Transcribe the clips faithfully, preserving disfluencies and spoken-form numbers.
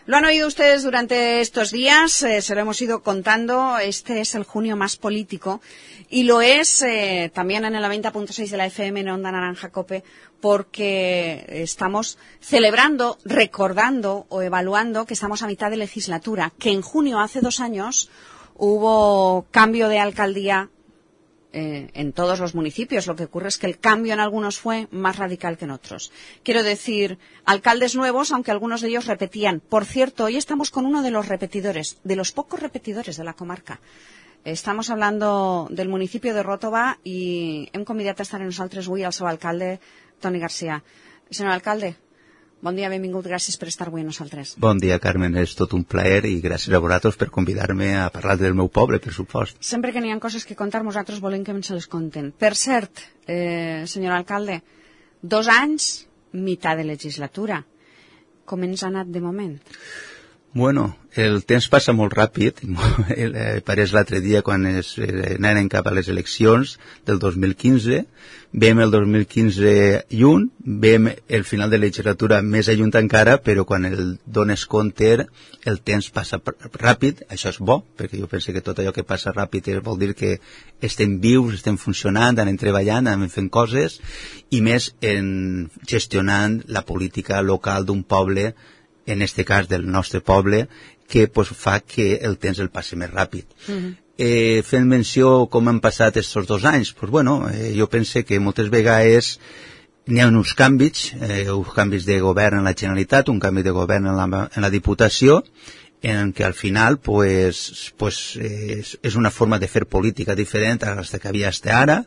Lo han oído ustedes durante estos días, eh, se lo hemos ido contando, este es el junio más político y lo es eh, también en el noventa punto seis de la F M en Onda Naranja Cope porque estamos celebrando, recordando o evaluando que estamos a mitad de legislatura, que en junio hace dos años hubo cambio de alcaldía Eh, en todos los municipios. Lo que ocurre es que el cambio en algunos fue más radical que en otros. Quiero decir, alcaldes nuevos, aunque algunos de ellos repetían. Por cierto, hoy estamos con uno de los repetidores, de los pocos repetidores de la comarca. Estamos hablando del municipio de Ròtova i hem convidat a estar amb nosaltres avui el seu alcalde, Toni Garcia. Senyor alcalde, bon dia, benvingut, gràcies per estar avui amb nosaltres. Bon dia, Carmen, és tot un plaer i gràcies a vosaltres per convidar-me a parlar del meu poble, per supost. Sempre que n'hi ha coses que contar, nosaltres volem que ens les conten. Per cert, eh, senyor alcalde, dos anys, mitad de legislatura. Com ens ha anat de moment? Bueno, el temps passa molt ràpid. Pareix l'altre dia quan es anaren cap a les eleccions del dos mil quinze. Vem el dos mil quinze lluny, vem el final de la legislatura més a lluny encara, però quan el dones compte el temps passa ràpid. Això és bo, perquè jo penso que tot allò que passa ràpid vol dir que estem vius, estem funcionant, anem treballant, anem fent coses, i més en gestionant la política local d'un poble, en este cas del nostre poble, que pues, fa que el temps el passi més ràpid. Uh-huh. eh, fent menció com han passat aquests dos anys, pues, bueno, eh, jo penso que moltes vegades n'hi ha uns canvis, eh, uns canvis de govern en la Generalitat, un canvi de govern en la, en la Diputació, en què al final pues, pues, eh, és una forma de fer política diferent a la que havia fins ara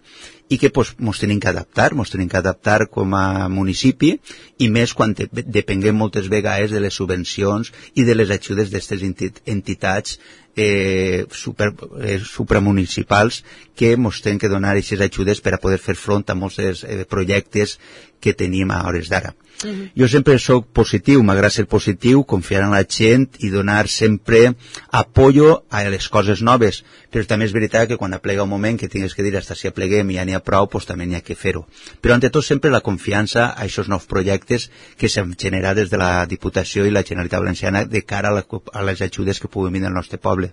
i que pues, ens tenim que adaptar, ens tenim que adaptar com a municipi i més quan te, depenguem moltes vegades de les subvencions i de les ajudes d'aquestes entitats eh, super, eh, supramunicipals que ens tenen que donar aquestes ajudes per a poder fer front a molts eh, projectes que tenim a hores d'ara. Uh-huh. Jo sempre soc positiu, m'agrada ser positiu, confiar en la gent i donar sempre apoyo a les coses noves, però també és veritat que quan aplega un moment que tingues que dir hasta si apleguem i ja n'hi ha prou, pues també n'hi ha que fer-ho. Però ante tot sempre la confiança a aquests nous projectes que s'han generat des de la Diputació i la Generalitat Valenciana de cara a, la, a les ajudes que puguin venir al nostre poble.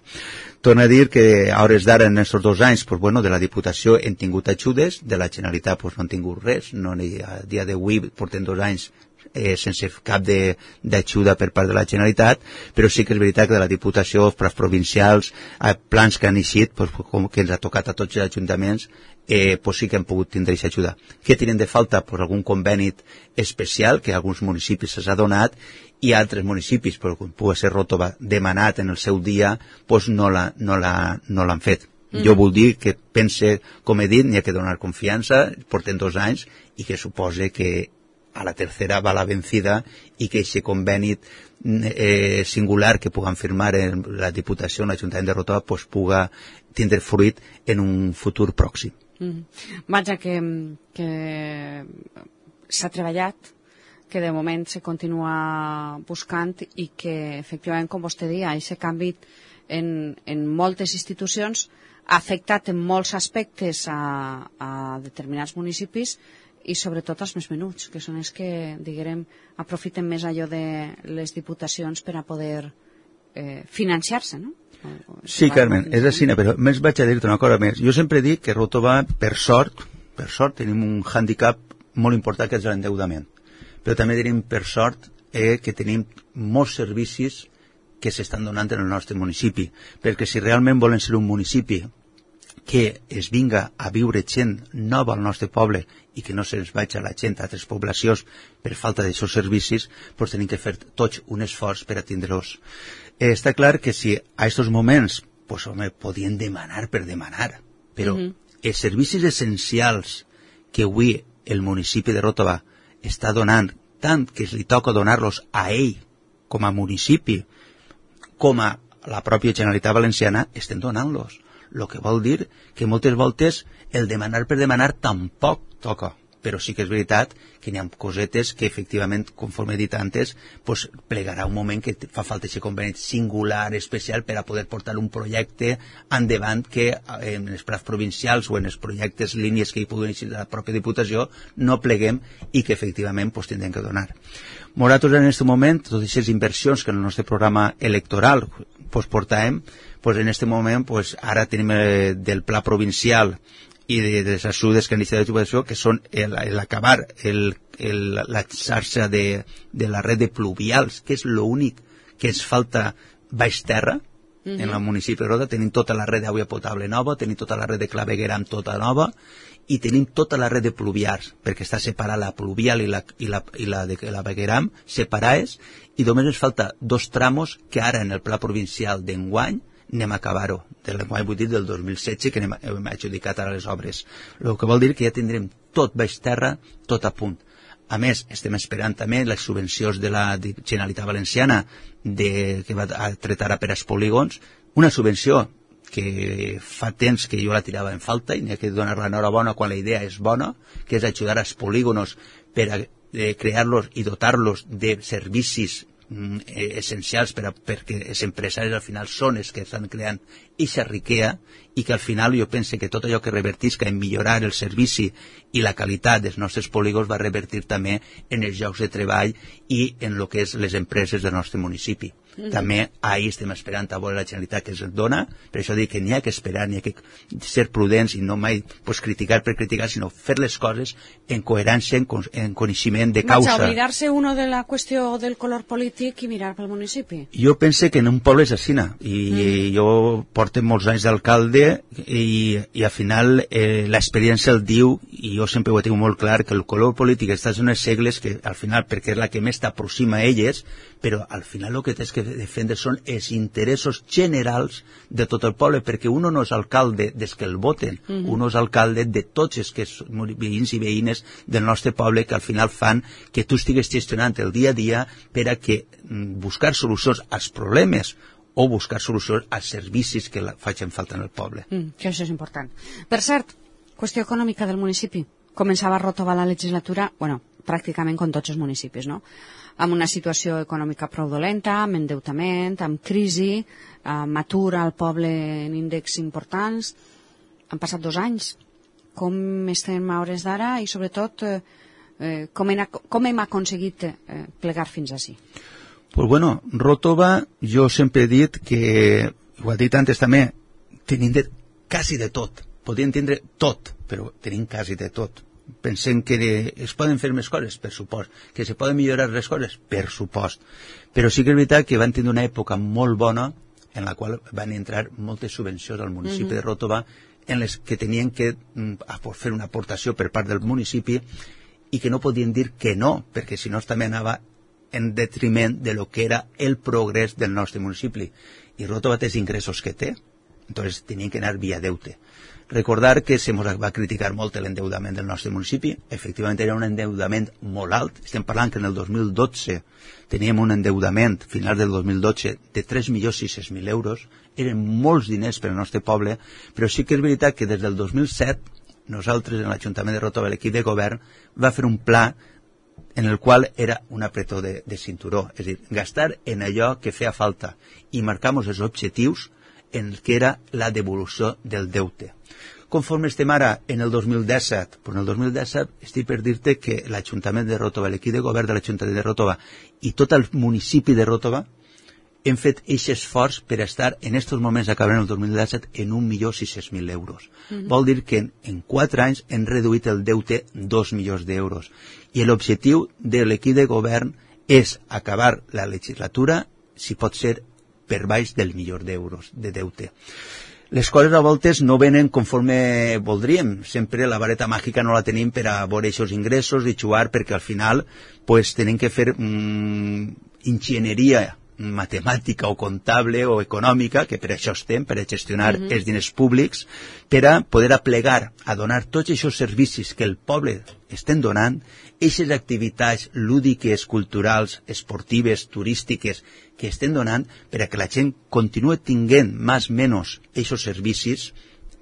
Torno a dir que a hores d'ara en aquests dos anys, pues bueno, de la Diputació hem tingut ajudes, de la Generalitat pues no han tingut res, no, ni a dia d'avui portem dos anys Eh, sense cap d'ajuda per part de la Generalitat, però sí que és veritat que de la Diputació, plans provincials, eh, plans que han eixit, pues, com que ens ha tocat a tots els ajuntaments, eh, pues sí que han pogut tindre aquesta ajuda. Què tenen de falta? Pues algun conveni especial que a alguns municipis s'ha donat i a altres municipis, però com pugui ser Ròtova, demanat en el seu dia, pues no l'han no la, no l'han fet. Mm. Jo vull dir que pense, com he dit, n'hi ha que donar confiança, porten dos anys, i que supose que a la tercera va la vencida i que aquest conveni eh, singular que puguem firmar en la Diputació, en l'Ajuntament de Ròtova, pues, puga tindre fruit en un futur pròxim. Mm. Vaja, que, que s'ha treballat, que de moment se continua buscant i que, efectivament, com vostè deia, aquest canvi en, en moltes institucions ha afectat en molts aspectes a, a determinats municipis i sobretot els més menuts, que són els que, diguem, aprofiten més allò de les diputacions per a poder eh, financiar-se, no? Sí, Carmen, és així, però més vaig a dir-te una cosa més. Jo sempre dic que Ròtova, per sort, per sort, tenim un hàndicap molt important que és l'endeudament. Però també tenim, per sort, eh, que tenim molts servicis que s'estan donant en el nostre municipi. Perquè si realment volen ser un municipi que es vinga a viure gent nova al nostre poble i que no se'ns vagi a la gent a altres poblacions per falta d'aixòs servicis, doncs tenim que fer tots un esforç per a tindre-los. Eh, està clar que si a aquests moments, doncs, home, podien demanar per demanar, però uh-huh. els servicis essencials que avui el municipi de Ròtova està donant, tant que li toca donar-los a ell com a municipi, com a la pròpia Generalitat Valenciana, estem donant-los. El que vol dir que moltes voltes el demanar per demanar tampoc toca, però sí que és veritat que n'hi ha cosetes que efectivament, conforme he dit antes, pues, plegarà un moment que fa falta aquest conveni singular, especial, per a poder portar un projecte endavant que en els plans provincials o en els projectes, línies que hi puguin iniciar la pròpia Diputació, no pleguem i que efectivament pues, tindrem que donar. Nosaltres en aquest moment, totes aquestes inversions que en el nostre programa electoral pues, portàvem, pues, en aquest moment pues, ara tenim eh, del pla provincial i de, de les ajudes que han iniciat la Diputació, que són l'acabar el, el, la xarxa de, de la red de pluvials, que és l'únic que ens falta baix terra, uh-huh. en el municipi de Rota. Tenim tota la red d'aigua potable nova, tenim tota la red de claveguera amb tota nova, i tenim tota la red de pluvials, perquè està separada la pluvial i la, i la, i la de clavegueram separades, i només ens falta dos tramos que ara en el pla provincial d'enguany anem a acabar-ho, de l'enguany vull dir del dos mil setze, que hem, hem adjudicat ara les obres. El que vol dir que ja tindrem tot baix terra, tot a punt. A més, estem esperant també les subvencions de la Generalitat Valenciana de, que va a tretar a per als polígons, una subvenció que fa temps que jo la tirava en falta i n'hi ha que donar l'enhorabona quan la idea és bona, que és ajudar als polígonos per a eh, crear-los i dotar-los de servicis mm, eh, essencials per a, perquè els empresaris al final són els que estan creant eixa riquea i que al final jo penso que tot allò que revertisca en millorar el servici i la qualitat dels nostres polígons va revertir també en els llocs de treball i en el que és les empreses del nostre municipi. Mm-hmm. També ahir estem esperant a veure la Generalitat que ens dona, per això dic que n'hi ha que esperar, n'hi ha que ser prudents i no mai pues, criticar per criticar, sinó fer les coses en coherència, en, en coneixement de causa. Vaig a oblidar-se uno de la qüestió del color polític i mirar pel municipi. Jo pense que en un poble és aixina, i mm. jo porto molts anys d'alcalde i, i al final eh, l'experiència el diu, i jo sempre ho tinc molt clar, que el color polític està en unes segles que al final, perquè és la que més t'aproxima a elles, però al final el que tens que defendre són els interessos generals de tot el poble, perquè uno no és alcalde des que el voten, mm-hmm. uno és alcalde de tots els que són veïns i veïnes del nostre poble, que al final fan que tu estigues gestionant el dia a dia per a que buscar solucions als problemes o buscar solucions als servicis que la facin falta en el poble. Mm, que això és important. Per cert, qüestió econòmica del municipi. Començava a Ròtova la legislatura, bueno, pràcticament com tots els municipis, no?, amb una situació econòmica prou dolenta, amb endeutament, amb crisi, amb atur al poble en índexs importants. Han passat dos anys. Com estem a hores d'ara i, sobretot, eh, com, hem, com hem aconseguit eh, plegar fins ací? Pues bueno, Ròtova, jo sempre he dit que, ho ha dit antes també, tenim de, quasi de tot. Podríem tindre tot, però tenim quasi de tot. Pensem que es poden fer més coses, per supost, que se poden millorar les coses, per supost, però sí que és veritat que van tenir una època molt bona en la qual van entrar moltes subvencions al municipi mm-hmm. de Ròtova en les que tenien que mm, fer una aportació per part del municipi i que no podien dir que no, perquè si no també anava en detriment de lo que era el progrés del nostre municipi. I Ròtova té els ingressos que té, entonces tenien que anar via deute. Recordar que se ens va criticar molt l'endeudament del nostre municipi. Efectivament era un endeudament molt alt. Estem parlant que en el dos mil dotze teníem un endeudament, final del dos mil dotze, de tres milions sis-cents mil euros. Eren molts diners per al nostre poble, però sí que és veritat que des del dos mil set nosaltres en l'Ajuntament de Ròtova, l'equip de govern, va fer un pla en el qual era un apretó de, de cinturó, és a dir, gastar en allò que feia falta i marcamos els objectius en el que era la devolució del deute. Conforme estem ara en el dos mil disset, però en el dos mil disset estic per dir-te que l'Ajuntament de Ròtova, l'equip de govern de l'Ajuntament de Ròtova i tot el municipi de Ròtova hem fet aquest esforç per estar en aquests moments acabant el dos mil disset en un milió sis-cents mil euros. Mm-hmm. Vol dir que en, en quatre anys hem reduït el deute dos milions d'euros. I l'objectiu de l'equip de govern és acabar la legislatura, si pot ser, per baix del milió d'euros de deute. Les coses a voltes no venen conforme voldríem. Sempre la vareta màgica no la tenim per a veure aquests ingressos i jugar, perquè al final pues, tenim que fer mm, enginyeria matemàtica o comptable o econòmica, que per això estem, per a gestionar uh-huh. els diners públics, per a poder aplegar, a donar tots aquests servicis que el poble estem donant, aquestes activitats lúdiques, culturals, esportives, turístiques, que estem donant per a que la gent continue tinguent més o menys aquests servicis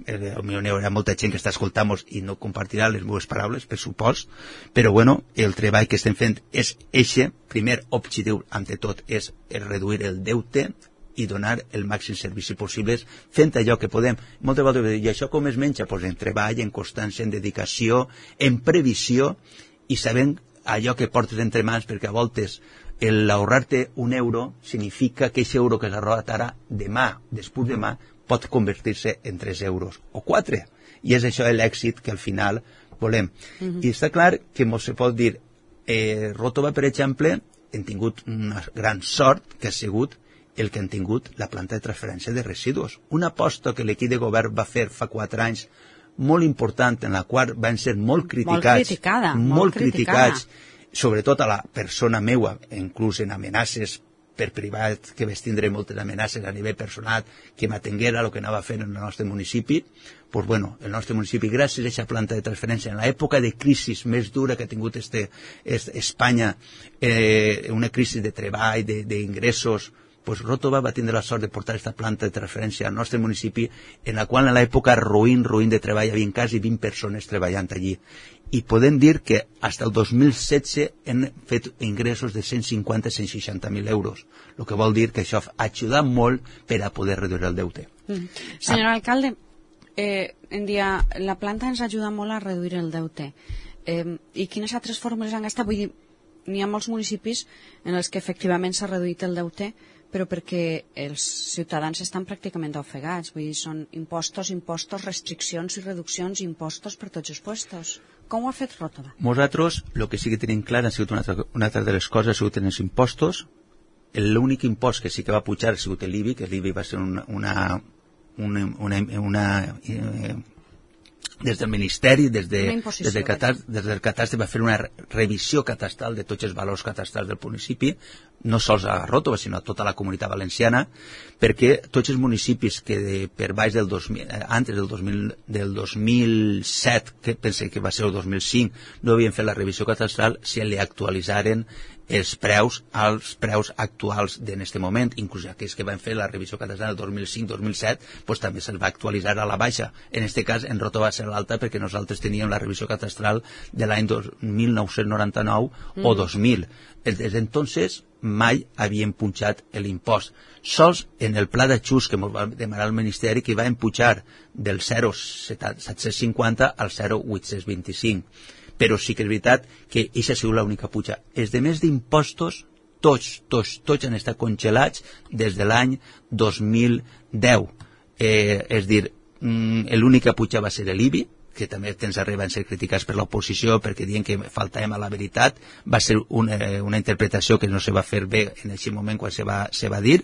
hi haurà molta gent que està escoltant-nos i no compartirà les meves paraules, per supost, però bueno, el treball que estem fent és eixe, primer objectiu, ante tot, és reduir el deute i donar el màxim servici possible fent allò que podem. Moltes vegades, i això com es menja? Pues en treball, en constància, en dedicació, en previsió i sabent allò que portes entre mans, perquè a voltes el ahorrar-te un euro significa que aquest euro que s'ha ahorrat ara, demà, després demà, pot convertir-se en tres euros o quatre. I és això l'èxit que al final volem. Uh-huh. I està clar que ens se pot dir, eh, Ròtova, per exemple, hem tingut una gran sort que ha sigut el que han tingut la planta de transferència de residus. Una aposta que l'equip de govern va fer fa quatre anys molt important, en la qual van ser molt criticats, molt, criticada, molt, molt criticats, criticada. Sobretot a la persona meua, inclús en amenaces per privat, que vaig tindre moltes amenaces a nivell personal, que m'atenguera el que anava fent en el nostre municipi. Pues bueno, el nostre municipi, gràcies a aquesta planta de transferència, en l'època de crisi més dura que ha tingut este, este Espanya, eh, una crisi de treball, d'ingressos, pues Ròtova va tindre la sort de portar aquesta planta de transferència al nostre municipi, en la qual en l'època ruïn, ruïn de treball, hi havia quasi vint persones treballant allí. I podem dir que fins al dos mil setze hem fet ingressos de cent cinquanta a cent seixanta mil euros, el que vol dir que això ha ajudat molt per a poder reduir el deute. Mm. Senyor ah. alcalde, eh, en dia, la planta ens ajuda molt a reduir el deute. Eh, I quines altres fórmules han gastat? Vull dir, n'hi ha molts municipis en els que efectivament s'ha reduït el deute, però perquè els ciutadans estan pràcticament ofegats. Vull dir, són impostos, impostos, restriccions i reduccions, impostos per tots els puestos. Com ho ha fet Ròtova? Nosaltres, el que sí que tenim clar, ha sigut una altra, una altra de les coses, ha sigut en els impostos. L'únic impost que sí que va pujar ha sigut l'I B I, que l'I B I va ser una... una, una, una, una eh, des del Ministeri, des, de, des, del catast, des del catastre va fer una revisió catastral de tots els valors catastrals del municipi, no sols a Ròtova, sinó a tota la comunitat valenciana, perquè tots els municipis que de, per baix del dos mil, antes del dos mil, del dos mil set, que pense que va ser el dos mil cinc, no havien fet la revisió catastral, si li actualitzaren els preus als preus actuals en aquest moment, inclús aquells que van fer la revisió catastral del dos mil cinc dos mil set, pues, també se'ls va actualitzar a la baixa. En aquest cas, en Ròtova va ser l'alta perquè nosaltres teníem la revisió catastral de l'any mil nou-cents noranta-nou mm. o dos mil. Des d'entonces mai havien punxat l'impost. Sols en el pla d'ajust que ens va demanar el Ministeri, que va empujar del zero coma set-cents cinquanta al zero coma vuit-cents vint-i-cinc. Però sí que és veritat que aquesta ha sigut l'única puja. Els demés d'impostos, tots, tots, tots han estat congelats des de l'any dos mil deu. Eh, és dir, l'única puja va ser l'I B I, que també temps arriba a ser criticats per l'oposició perquè diuen que faltàvem a la veritat. Va ser una, una interpretació que no se va fer bé en aquest moment quan se va, se va dir,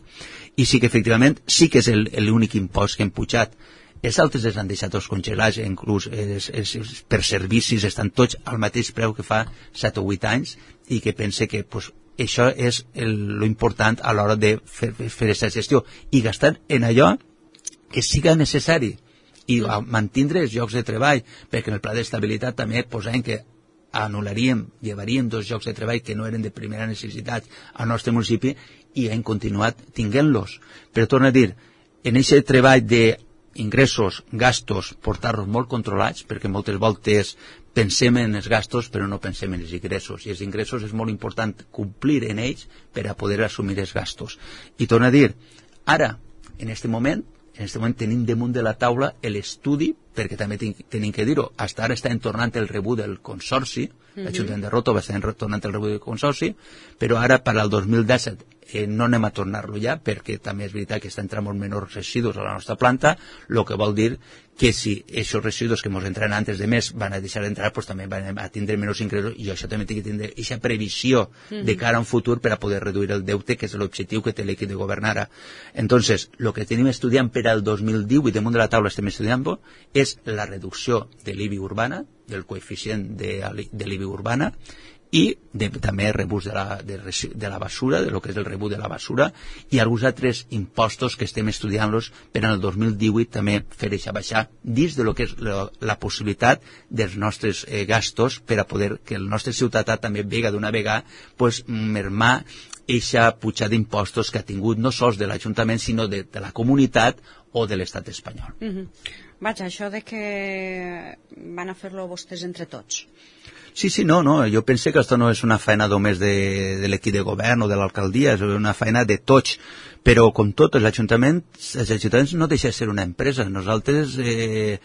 i sí que efectivament sí que és l'únic impost que hem pujat. Els altres els han deixat tots congelats, inclús els, els, els, per servicis estan tots al mateix preu que fa set o vuit anys, i que pense que pues, això és l'important a l'hora de fer aquesta gestió i gastar en allò que siga necessari i mantindre els llocs de treball, perquè en el pla d'estabilitat també posem que anul·laríem, llevaríem dos llocs de treball que no eren de primera necessitat al nostre municipi i hem continuat tinguent-los. Però torno a dir, en aquest treball de ingressos, gastos, portar-los molt controlats, perquè moltes voltes pensem en els gastos però no pensem en els ingressos, i els ingressos és molt important complir en ells per a poder assumir els gastos. I torno a dir, ara, en aquest moment, en aquest moment tenim damunt de la taula l'estudi, perquè també tenim que dir-ho, fins ara estem tornant el rebut del consorci, mm-hmm. l'Ajuntament de Ròtova està tornant el rebut del consorci, però ara per al dos mil disset eh, no anem a tornar-lo ja, perquè també és veritat que està entrant molt menors residus a la nostra planta, el que vol dir que si aquests residus que ens entren antes de mes van a deixar d'entrar, pues també van a tindre menys ingressos, i això també té que tindre aquesta previsió mm-hmm. de cara a un futur per a poder reduir el deute, que és l'objectiu que té l'equip de govern ara. Entonces, el que tenim estudiant per al dos mil divuit, damunt de la taula estem estudiant, és la reducció de l'I B I urbana, del coeficient de, de l'I B I urbana, i de, també rebut de la, de, de la basura, de lo que és el rebut de la basura, i alguns altres impostos que estem estudiant-los per al dos mil divuit també fer això baixar dins de lo que és la, la possibilitat dels nostres eh, gastos per a poder que el nostre ciutadà també vega d'una vegada pues, mermar eixa pujada d'impostos que ha tingut no sols de l'Ajuntament sinó de, de la comunitat o de l'estat espanyol. Mm-hmm. Vaja, això de que van a fer-lo vostès entre tots. Sí, sí, no, no, jo penso que això no és una feina només de, de l'equip de govern o de l'alcaldia, és una feina de tots, però com tot, els ajuntaments, els ajuntaments no deixen de ser una empresa. Nosaltres, eh,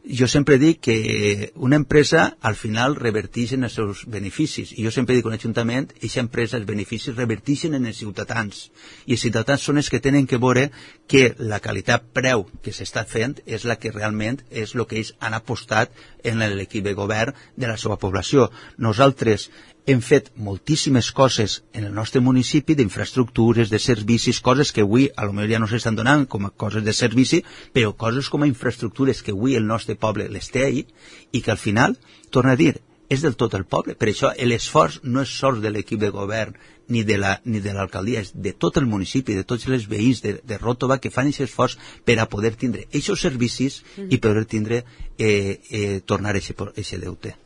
jo sempre dic que una empresa al final reverteix en els seus beneficis, i jo sempre dic que un ajuntament, aquesta empresa, els beneficis reverteixen en els ciutadans, i els ciutadans són els que tenen que veure que la qualitat-preu que s'està fent és la que realment és el que ells han apostat en l'equip de govern de la seva població. Nosaltres hem fet moltíssimes coses en el nostre municipi, d'infraestructures, de servicis, coses que avui a lo millor ja no s'estan donant com a coses de servici, però coses com a infraestructures que avui el nostre poble les té ahí, i que al final, torna a dir, és del tot el poble. Per això l'esforç no és sols de l'equip de govern ni de la, ni de l'alcaldia, és de tot el municipi, de tots els veïns de, de Ròtova que fan aquest esforç per a poder tindre aquests servicis mm. i poder tindre, eh, eh, tornar aquest deute.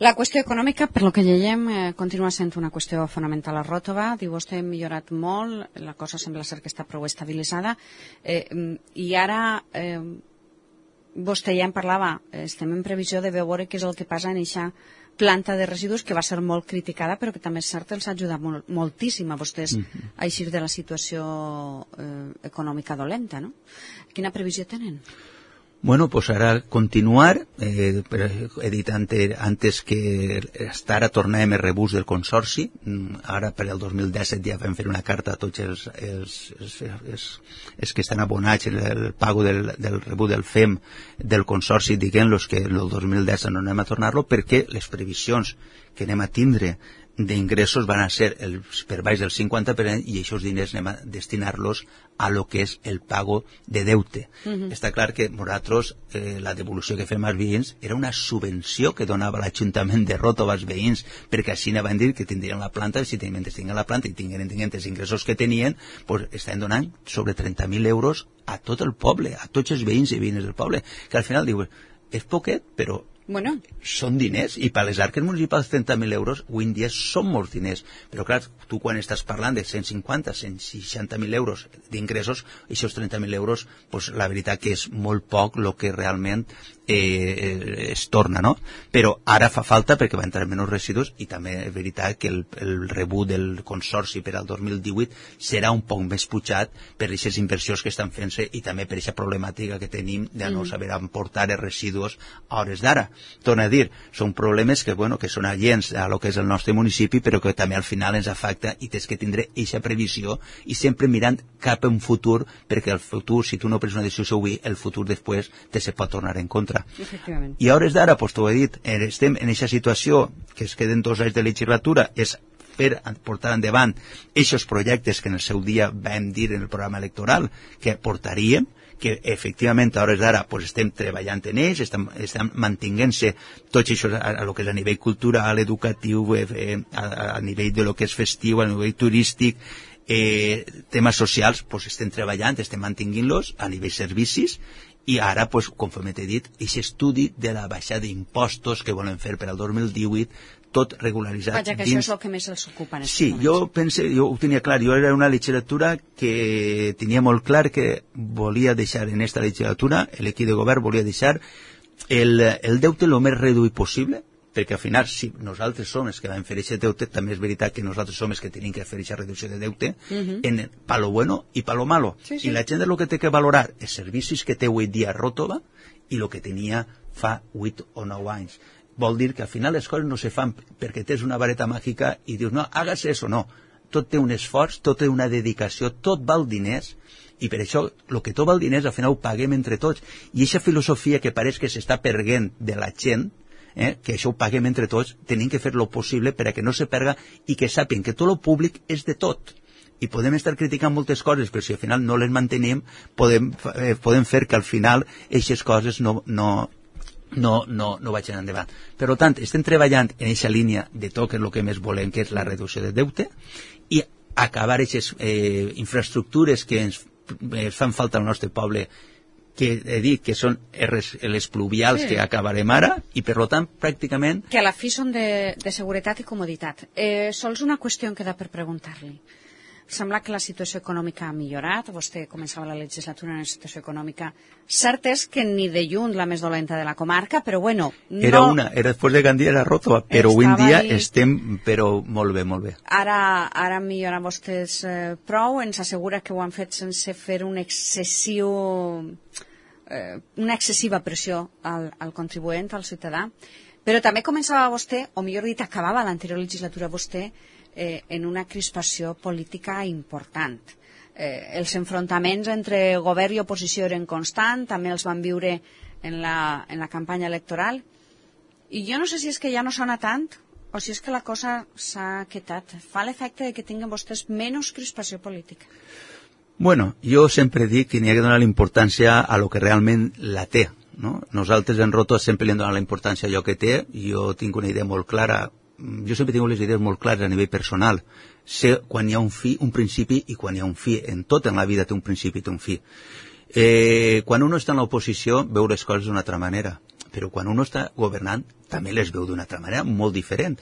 La qüestió econòmica, per lo que llegem, eh, continua sent una qüestió fonamental a Ròtova. Diu, vostè ha millorat molt, la cosa sembla ser que està prou estabilitzada, eh, i ara eh, vostè ja en parlava, estem en previsió de veure què és el que passa en aquesta planta de residus que va ser molt criticada, però que també és cert els ha ajudat molt, moltíssim a vostès mm-hmm. a eixir de la situació eh, econòmica dolenta, no? Quina previsió tenen? Bueno, pues ara continuar, eh, he dit antes, antes que hasta ara tornàvem el rebús del consorci, ara per el dos mil disset ja vam fer una carta a tots els, els, els, els, els que estan abonats en el pago del, del rebús del F E M del consorci, diguem-los que el dos mil disset no anem a tornar-lo perquè les previsions que anem a tindre d'ingressos van a ser el, per baix del cinquanta per cent, i aquests diners anem a destinar-los a lo que és el pago de deute. Uh-huh. Està clar que nosaltres, eh, la devolució que fem als veïns era una subvenció que donava l'Ajuntament de Ròtova als veïns, perquè així van dir que tindrien la planta, si tenien, tinguin la planta i tinguin, tinguin els ingressos que tenien, pues estan donant sobre trenta mil euros a tot el poble, a tots els veïns i veïnes del poble, que al final diu, és poquet, però bueno, són diners, i per les arques municipals trenta mil euros avui en dia són molts diners, però clar, tu quan estàs parlant de cent cinquanta, cent seixanta mil euros d'ingressos, aquests trenta mil euros, pues, la veritat que és molt poc el que realment eh, es torna, no? Però ara fa falta perquè va entrar menys residus, i també és veritat que el, el rebut del consorci per al dos mil divuit serà un poc més pujat per aquestes inversions que estan fent-se i també per aquesta problemàtica que tenim de no saber emportar els residus a hores d'ara. Torna a dir, són problemes que, bueno, que són aliens a lo que és el nostre municipi, però que també al final ens afecta, i tens que tindre aquesta previsió i sempre mirant cap a un futur, perquè el futur, si tu no prens una decisió avui, el futur després te se pot tornar en contra. I a hores d'ara, pues t'ho he dit, estem en aquesta situació que es queden dos anys de legislatura, és per portar endavant aquests projectes que en el seu dia vam dir en el programa electoral que portaríem, que efectivament a hores d'ara pues, estem treballant en ells, estem, estem mantinguent-se tots això a, a lo que és a nivell cultural, educatiu, eh, a, a nivell de lo que és festiu, a nivell turístic, eh, temes socials, pues, estem treballant, estem mantinguint-los a nivell servicis, i ara, pues, conforme t'he dit, aquest estudi de la baixada d'impostos que volen fer per al dos mil divuit, tot regularitzat. Vaja, que dins... això és el que més els ocupa en aquest sí, moments. Jo pense, jo ho tenia clar, jo era una legislatura que tenia molt clar que volia deixar en esta legislatura, l'equip de govern volia deixar el, el deute el més reduït possible, perquè al final, si nosaltres som els que vam fer aquest deute, també és veritat que nosaltres som els que tenim que fer aquesta reducció de deute, uh-huh. en pa lo bueno i pa lo malo. Sí, sí. I la gent és el que té que valorar els servicis que té avui dia a Ròtova i el que tenia fa vuit o nou anys. Vol dir que al final les coses no se fan perquè tens una vareta màgica i dius, no, hagas eso, no. Tot té un esforç, tot té una dedicació, tot val diners, i per això el que tot val diners al final ho paguem entre tots. I aquesta filosofia que pareix que s'està perdent de la gent, eh, que això ho paguem entre tots, tenim que fer lo possible per a que no se perga i que sàpien que tot lo públic és de tot. I podem estar criticant moltes coses, però si al final no les mantenim, podem, eh, podem fer que al final aquestes coses no... no no, no, no vagin endavant. Per tant, estem treballant en aquesta línia de tot el que més volem, que és la reducció de deute, i acabar aquestes eh, infraestructures que ens eh, fan falta al nostre poble, que he dit que són les pluvials sí. que acabarem ara, i per tant, pràcticament... Que a la fi són de, de seguretat i comoditat. Eh, sols una qüestió em queda per preguntar-li. sembla que la situació econòmica ha millorat. Vostè començava la legislatura en una situació econòmica. Cert és que ni de lluny la més dolenta de la comarca, però bueno... No... Era una, era després de Gandia era Ròtova, però avui en dia ahí... estem però molt bé, molt bé. Ara, ara milloren vostès eh, prou, ens assegura que ho han fet sense fer un excessiu... Eh, una excessiva pressió al, al contribuent, al ciutadà. Però també començava vostè, o millor dit, acabava l'anterior legislatura vostè, Eh, en una crispació política important. Eh, els enfrontaments entre govern i oposició eren constants, també els van viure en la, en la campanya electoral, i jo no sé si és que ja no sona tant o si és que la cosa s'ha quietat. Fa l'efecte de que tinguen vostès menys crispació política. Bueno, jo sempre dic que n'hi ha que donar la importància a lo que realment la té, no? Nosaltres en Ròtova sempre li hem donat la importància a allò que té. Jo tinc una idea molt clara. Jo sempre tinc les idees molt clares a nivell personal. Sé quan hi ha un fi, un principi, i quan hi ha un fi. En tot en la vida té un principi i té un fi. Eh, quan uno està en l'oposició veu les coses d'una altra manera, però quan uno està governant també les veu d'una altra manera, molt diferent.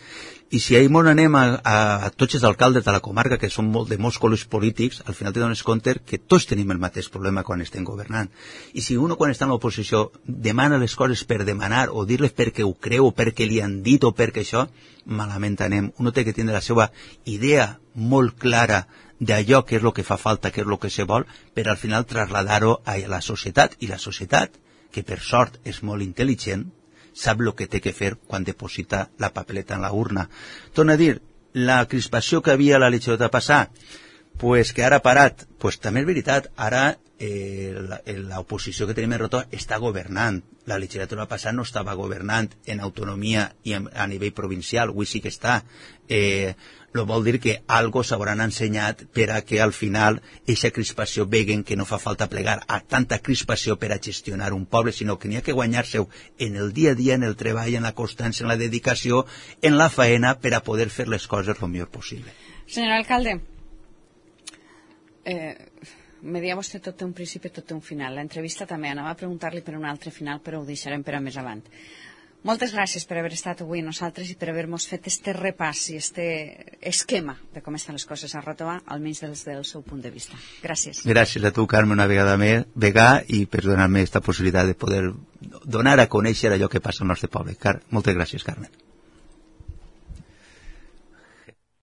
I si ahir mos anem a, a, a tots els alcaldes de la comarca, que són molt, de molts colors polítics, al final te dones compte que tots tenim el mateix problema quan estem governant. I si uno quan està en l'oposició demana les coses per demanar, o dir-les perquè ho creu, o perquè li han dit, o perquè això, malament anem. Uno té que tindre la seva idea molt clara d'allò que és el que fa falta, que és el que se vol, per al final trasladar-ho a la societat. I la societat, que per sort és molt intel·ligent, sap el que té que fer quan deposita la papeleta en la urna. Torna a dir, la crispació que havia a la legislatura passada, pues que ara ha parat, pues també és veritat, ara eh, l'oposició que tenim en Ròtova està governant. La legislatura passada no estava governant en autonomia i en, a nivell provincial, avui sí que està. Eh, lo vol dir que algo s'hauran ensenyat per a que al final eixa crispació veguen que no fa falta plegar a tanta crispació per a gestionar un poble, sinó que n'hi ha que guanyar-se en el dia a dia, en el treball, en la constància, en la dedicació, en la faena, per a poder fer les coses el millor possible. Senyor alcalde, eh, me deia vostè tot té un principi, tot té un final. L'entrevista també anava a preguntar-li per un altre final, però ho deixarem per a més avant. Moltes gràcies per haver estat avui amb nosaltres i per haver-nos fet este repàs i este esquema de com estan les coses a Ròtova, almenys des del seu punt de vista. Gràcies. Gràcies a tu, Carme, una vegada més, vegà, i per donar-me aquesta possibilitat de poder donar a conèixer allò que passa al nostre poble. Car moltes gràcies, Carme.